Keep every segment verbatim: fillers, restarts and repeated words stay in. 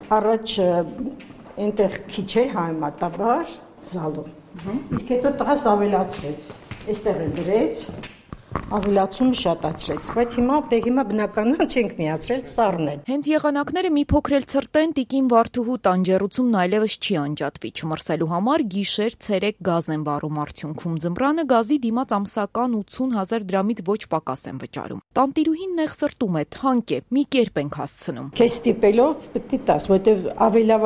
Առաջ այնտեղ քիչ էր համեմատաբար զալում։ Իսկ հետո տղաս ավելացրեց։ Այստեղ է դրեց, ավելացումը շատացրեց, բայց հիմա դե հիմա բնականon չենք միացրել սառնել։ Հենց եղանակները մի փոքր էլ ցրտեն, տիկին Վարդուհու տանջեռությունն այլևս չի անջատվի, չմրսելու համար գիշեր ցերեկ գազ են վառում արդյունքում, ձմռանը գազի դիմաց ամսական ութուն հազար դրամից ոչ պակաս են վճարում։ Տանտիրուհին նեղ սրտում է, թանկ է, մի կերպ ենք հասցնում։ Քեզ ստիպելով պետք է տաս, որտեվ ավելի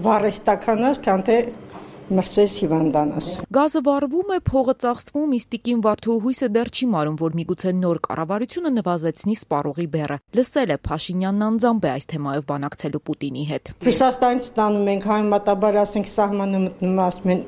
վառես տականաս, քան թե մրսես հիվանդանաս։ Գազը վառվում է, փողը ծախսվում, իսկ տիկին Վարդուհու հույսը դեռ չի մարում, որ միգուցե նոր կառավարությունը նվազեցնի սպառողի բեռը։ Լսել է Փաշինյանն անձամբ է այս թեմայով բանակցելու Պուտինի հետ։ Ռուսաստանից ստանում ենք համեմատաբար, ասենք, սահմանը մտնում, ասում են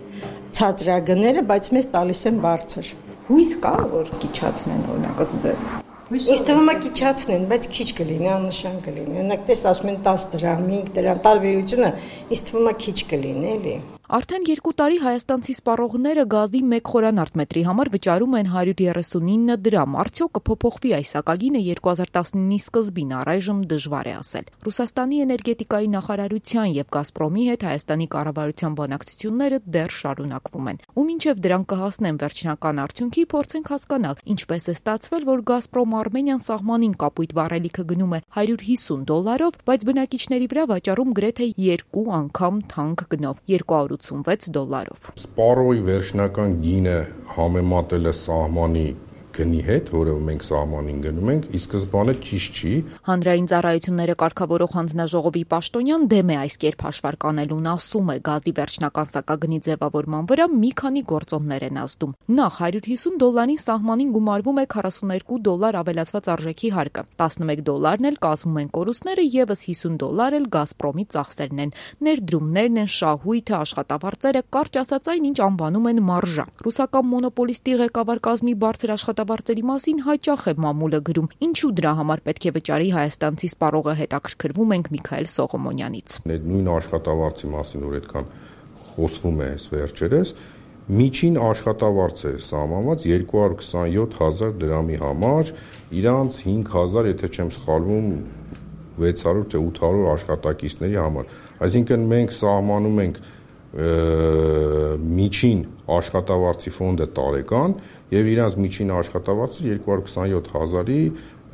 ցածրագները, բայց մեզ տալիս են բարձր։ Հույս կա, որ կիչացնեն օրինակ ձեզ։ Ինձ թվում է կիչացնեն, բայց քիչ կլինի, աննշան կլինի։ Օրինակ, տես ասում են տաս դրամ, հինգ դրամ, տարբերությունը ինձ թվում է քիչ կլինի, էլի։ Արդեն երկու տարի հայաստանցի սպառողները գազի մեկ խորանարդ մետրի համար վճարում են հարյուր երեսունինը դրամ։ Արդյոք կփոփոխվի այս սակագինը երկու հազար տասնինի սկզբին, առայժմ դժվար է ասել։ Ռուսաստանի էներգետիկայի նախարարության եւ Գազպրոմի հետ Հայաստանի կառավարության բանակցությունները դեռ շարունակվում են։ Ու մինչեւ դրանք կհասնեն վերջնական արդյունքի, փորձենք հասկանալ, ինչպես է ստացվել, որ Գազպրոմ Արմենիան սահմանին կապույտ վառելիքը գնում է հարյուր հիսուն դոլարով, բայց բնակիչների վրա վաճառում գրեթե երկու անգամ թանկ գնով՝ երկու հարյուր ութսունվեց դոլարով։ Սպառողի վերջնական գինը համեմատել է սահմանի գնի հետ, որը մենք սահմանին գնում ենք, ի սկզբանե ճիշտ չի։ Հանրային ծառայությունները կարգավորող հանձնաժողովի պաշտոնյան դեմ է այս կերպ հաշվարկանելուն, ասում է գազի վերջնական սակագնի ձևավորման վրա մի քանի գործոններ են ազդում։ Նախ հարյուր հիսուն դոլարին սահմանին գումարվում է քառասուններկու դոլար ավելացված արժեքի հարկը, տասնմեկ դոլարն էլ կազմում են կորուստները, եւս հիսուն դոլար էլ Գազպրոմի ծախսերն են, ներդրումներն են, շահույթը, աշխատավարձերը, կարճ ասած այն, ինչ անվանում են մարժա։ Ռուսական մոնոպոլիստի ղեկավար կազմի բարձր աշխատավարձերի մասին հաճախ է մամուլը գրում, ինչու դրա համար պետք է վճարի հայաստանցի սպառողը, հետաքրքրվում ենք Միքայել Սողոմոնյանից։ Նույն աշխատավարձի մասին, որ այդքան խոսվում է այս վերջերս, միջին աշխատավարձ է սահմանված երկու հարյուր քսանյոթ հազար դրամի համար, իրանց հինգ հազար, եթե չեմ սխալվում, վեց հարյուր թե ութ հարյուր աշխատակիցների համար։ Այսինքն մենք սահմանում ենք միջին աշխատավարձի ֆոնդը տարեկան եւ իրանց միջին աշխատավարձը երկու հարյուր քսանյոթ հազարի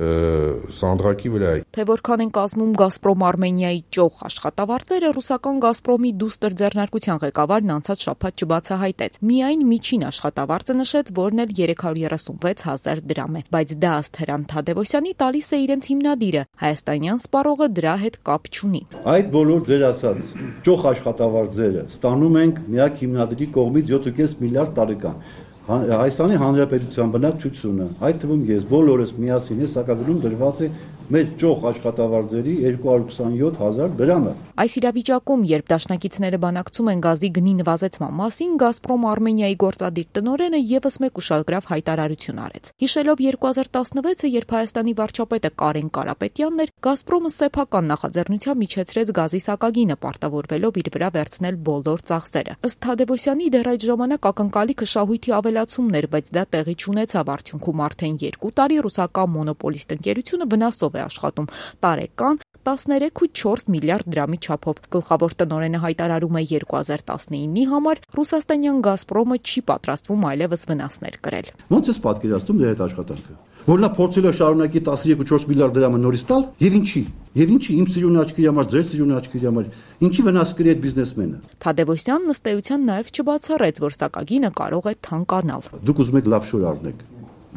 սանդղակի վրա է։ Թե որքան են կազմում Գազպրոմ Արմենիայի ճոխ աշխատավարձերը, ռուսական Գազպրոմի դուստր ձեռնարկության ղեկավարն անցած շաբաթ չբացահայտեց։ Միայն միջին աշխատավարձը նշեց, որն էլ երեք հարյուր երեսունվեց հազար դրամ է, բայց դա ըստ Հրանտ Թադևոսյանի տալիս է իրենց հիմնադիրը, հայաստանյան սպառողը դրա հետ կապ չունի։ Այդ բոլոր ձեր ասած ճոխ աշխատավարձերը ստանում ենք միակ հիմնադրի կողմից յոթ կես միլիարդ տարեկան։ Հայաստանի Հանրապետության բնակչությունը, այդ թվում ես բոլորս միասին է սակագնում դրված է մեր ճոխ աշխատավարձերի երկու հարյուր քսանյոթ հազար դրամը։ Այս իրավիճակում, երբ դաշնակիցները բանակցում են գազի գնի նվազեցման մասին, Գազպրոմ Արմենիայի գործադիր տնօրենը եւս մեկ ուշագրավ հայտարարություն արեց։ Հիշելով երկու հազար տասնվեցը, երբ Հայաստանի վարչապետը Կարեն Կարապետյանն էր, Գազպրոմը սեփական նախաձեռնությամբ միջեցրեց գազի սակագինը, պարտավորվելով իր վրա վերցնել բոլոր ծախսերը։ Ըստ Թադևոսյանի, դեռ այդ ժամանակ ակնկալիքը շահույթի ավելացումն էր, բայց դա տեղի չունեցավ, արդյունքում արդեն երկու տարի ռուսական մոնոպոլիստ ընկերությունը վնասով է աշխատում տարեկան տասներեք ու չորս միլիարդ դրամի չափով։ Գլխավոր տնօրենը հայտարարում է երկու հազար տասնինի համար ռուսաստանյան Գազպրոմը չի պատրաստվում այլևս վնասներ կրել։ Ոնց է պատկերացնում դեր այդ աշխատանքը, որ նա փորձել է շարունակի տասներեք ու չորս միլիարդ դրամը նորից տալ, եւ ինչի։ Եվ ինչի իմ ծիրունի աչքերի համար, ձեր ծիրունի աչքերի համար, ինչի վնաս կրի այդ բիզնեսմենը։ Թադևոսյանն ըստ էության նաև չբացառեց, որ սակագինը կարող է թանկանալ։ Դուք ուզում եք լավ շոր առնեք,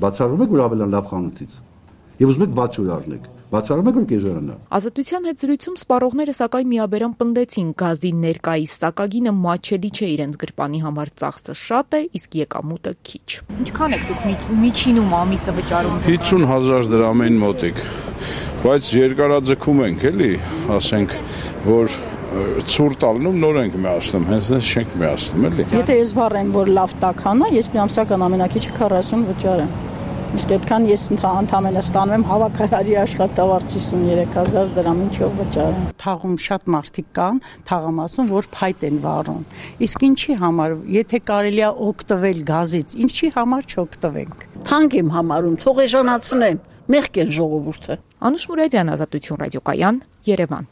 բացառում եք, որ ավելան լավ խանութից, եւ ուզում եք վատ շոր առնեք, բացառում եք, որ կեժարանա։ Ազատության հետ զրույցում սպառողները սակայն միաբերան պնդեցին, գազի ներկայիս սակագինը մատչելի չէ իրենց գրպանի համար, ծախսը շատ է, իսկ եկամուտը քիչ։ Ինչքան եք դուք միջինում ամիսը վճարում։ հիսուն հազար դրամին մոտիկ, բայց երկարաձգում ենք, էլի, ասենք, որ ցուրտ ալնում նոր ենք միացնում, հենց դες չենք միացնում, էլի։ Եթե ես վառեմ, որ լավ տաքանա, ես մի ամսական ամենակիչը քառասուն վճարեմ։ Իսկ այդքան ես ընդհանրապես ստանում եմ հավաքարարի աշխատավարձ հիսուններեք հազար դրամ, ինչով վճարեմ։ Թաղում շատ մարդիկ կան, թաղամասում, որ փայտ են վառում։ Իսկ ինչի համար, եթե կարելի է օգտվել գազից, ինչի համար չօգտվենք։ Թանկ եմ համարում, թող էժանացնեն, մեղք են ժողովուրդը։ Անուշ Մուրադյան, Ազատություն ռադիոկայան, Երևան։